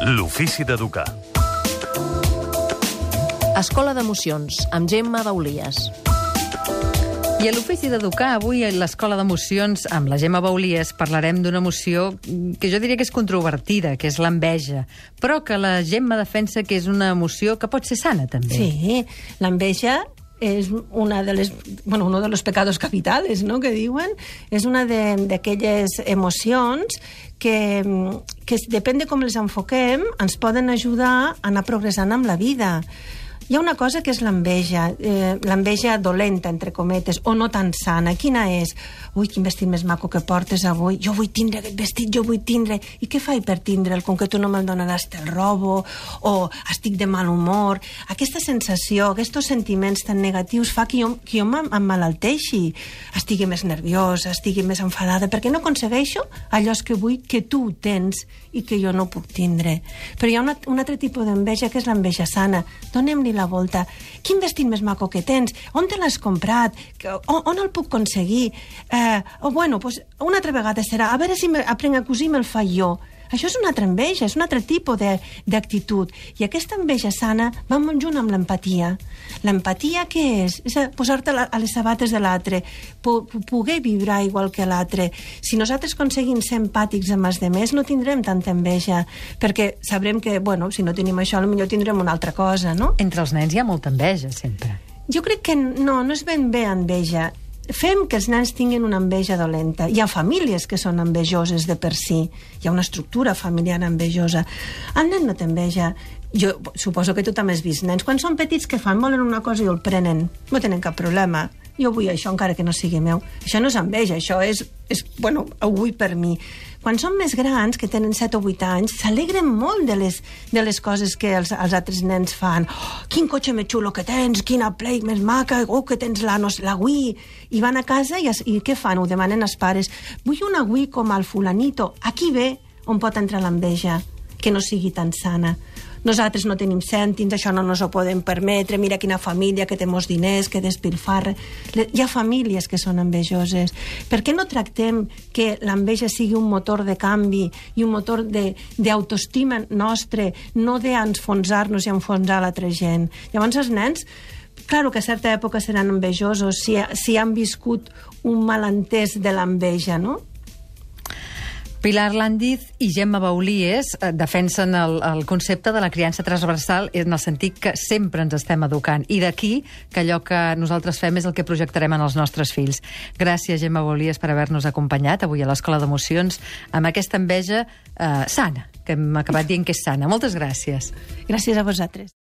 L'ofici d'educar. Escola d'Emocions, amb Gemma Baulies. I a l'Ofici d'Educar, avui a l'Escola d'Emocions, amb la Gemma Baulies, parlarem d'una emoció que jo diria que és controvertida, que és l'enveja, però que la Gemma defensa que és una emoció que pot ser sana, també. Sí, l'enveja és uno de los pecados capitales, ¿no?, que diuen. És una d'aquelles emocions que depèn de com les enfoquem, ens poden ajudar a anar progressant amb la vida. Hi ha una cosa que és l'enveja dolenta, entre cometes, o no tan sana. Quina és? Ui, quin vestit més maco que portes avui. Jo vull tindre aquest vestit, jo vull tindre. I què faig per tindre'l? Com que tu no me'l donaràs, te'l robo, o estic de mal humor. Aquesta sensació, aquests sentiments tan negatius fa que jo m'emmalalteixi. Estigui més nerviosa, estigui més enfadada, perquè no aconsegueixo allò que vull que tu tens i que jo no puc tindre. Però hi ha un altre tipus d'enveja, que és l'enveja sana. Donem-li la volta. Quin vestit més maco que tens? On te l'has comprat? On el puc aconseguir? Una altra vegada serà, a veure si aprenc a cosir i me'l faig jo. Això és una altra enveja, és un altre tipus d'actitud. I aquesta enveja sana va molt junt amb l'empatia. L'empatia què és? És posar-te a les sabates de l'altre, poder vibrar igual que l'altre. Si nosaltres aconseguim ser empàtics amb els altres, no tindrem tanta enveja, perquè sabrem que, si no tenim això, potser tindrem una altra cosa, no? Entre els nens hi ha molta enveja, sempre. Jo crec que no és ben bé enveja. Fem que els nens tinguin una enveja dolenta. Hi ha famílies que són envejoses de per si. Hi ha una estructura familiar envejosa. El nen no té enveja. Jo suposo que tu també has vist nens. Quan són petits, què fan? Volen una cosa i el prenen. No tenen cap problema. Jo vull això encara que no sigui meu. Això no és enveja, això és ho vull per mi. Quan són més grans, que tenen 7 o 8 anys, s'alegren molt de les coses que els altres nens fan. Oh, quin cotxe més xulo que tens, quina Play més maca, que tens la Wii. I van a casa i què fan? Ho demanen als pares. Vull una Wii com el fulanito. Aquí ve on pot entrar l'enveja, que no sigui tan sana. Nosaltres no tenim cèntims, això no ens ho podem permetre, mira quina família que té molts diners, que despilfarra. Hi ha famílies que són envejoses. Per què no tractem que l'enveja sigui un motor de canvi i un motor d'autoestima nostre, no d'enfonsar-nos i enfonsar l'altra gent? Llavors els nens, clar que a certa època seran envejosos si han viscut un malentès de l'enveja, no? Pilar Lándiz i Gemma Baulies defensen el concepte de la criança transversal en el sentit que sempre ens estem educant. I d'aquí que allò que nosaltres fem és el que projectarem en els nostres fills. Gràcies, Gemma Baulies, per haver-nos acompanyat avui a l'Escola d'Emocions amb aquesta enveja sana, que hem acabat dient que és sana. Moltes gràcies. Gràcies a vosaltres.